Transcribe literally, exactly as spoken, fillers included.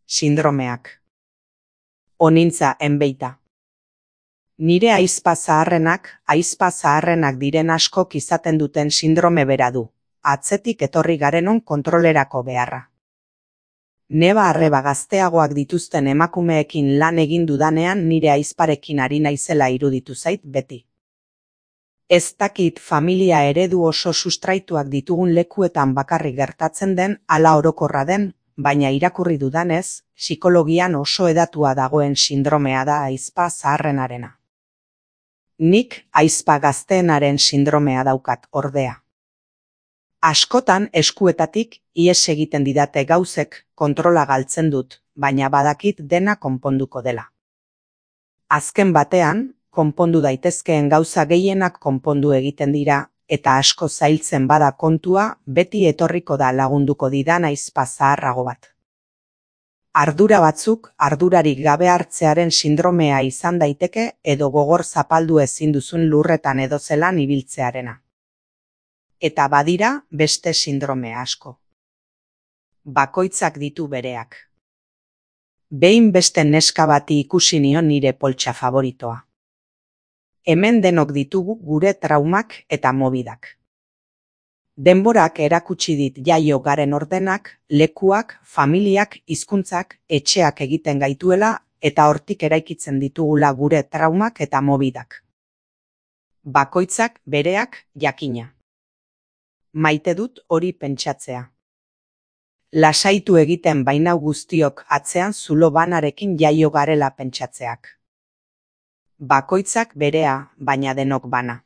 Sindromeak. Onintza enbeita. Nire ahizpa zaharrenak, ahizpa zaharrenak diren askok izaten duten sindrome bera du, atzetik etorri garenon kontrolerako beharra. Neba arreba gazteagoak dituzten emakumeekin lan egin dudanean nire ahizparekin ari naizela iruditu zait beti. Ez dakit familia eredu oso sustraituak ditugun lekuetan bakarrik gertatzen den ala orokorra den, baina irakurri dudanez, psikologian oso hedatua dagoen sindromea da ahizpa zaharrenarena. Nik ahizpa gazteenaren sindromea daukat, ordea. Askotan eskuetatik ihes egiten didate gauzek, kontrola galtzen dut, baina badakit dena konponduko dela. Azken batean, konpondu daitezkeen gauza gehienak konpondu egiten dira, eta asko zailtzen bada kontua, beti etorriko da lagunduko didan ahizpa zaharrago bat. Ardura batzuk ardurarik gabe hartzearen sindromea izan daiteke edo gogor zapaldu ezin duzun lurretan edo zelan ibiltzearena. Eta badira beste sindrome asko. Bakoitzak ditu bereak. Behin beste neska bati ikusi nion nire poltsa favoritoa. Hemen denok ditugu gure traumak eta mobidak. Denborak erakutsi dit jaio garen ordenak, lekuak, familiak, hizkuntzak, etxeak egiten gaituela eta hortik eraikitzen ditugula gure traumak eta mobidak. Bakoitzak bereak jakina. Maite dut hori pentsatzea. Lasaitu egiten bainau guztiok atzean zulo banarekin jaio garela pentsatzeak. Bakoitzak berea, baina denok bana.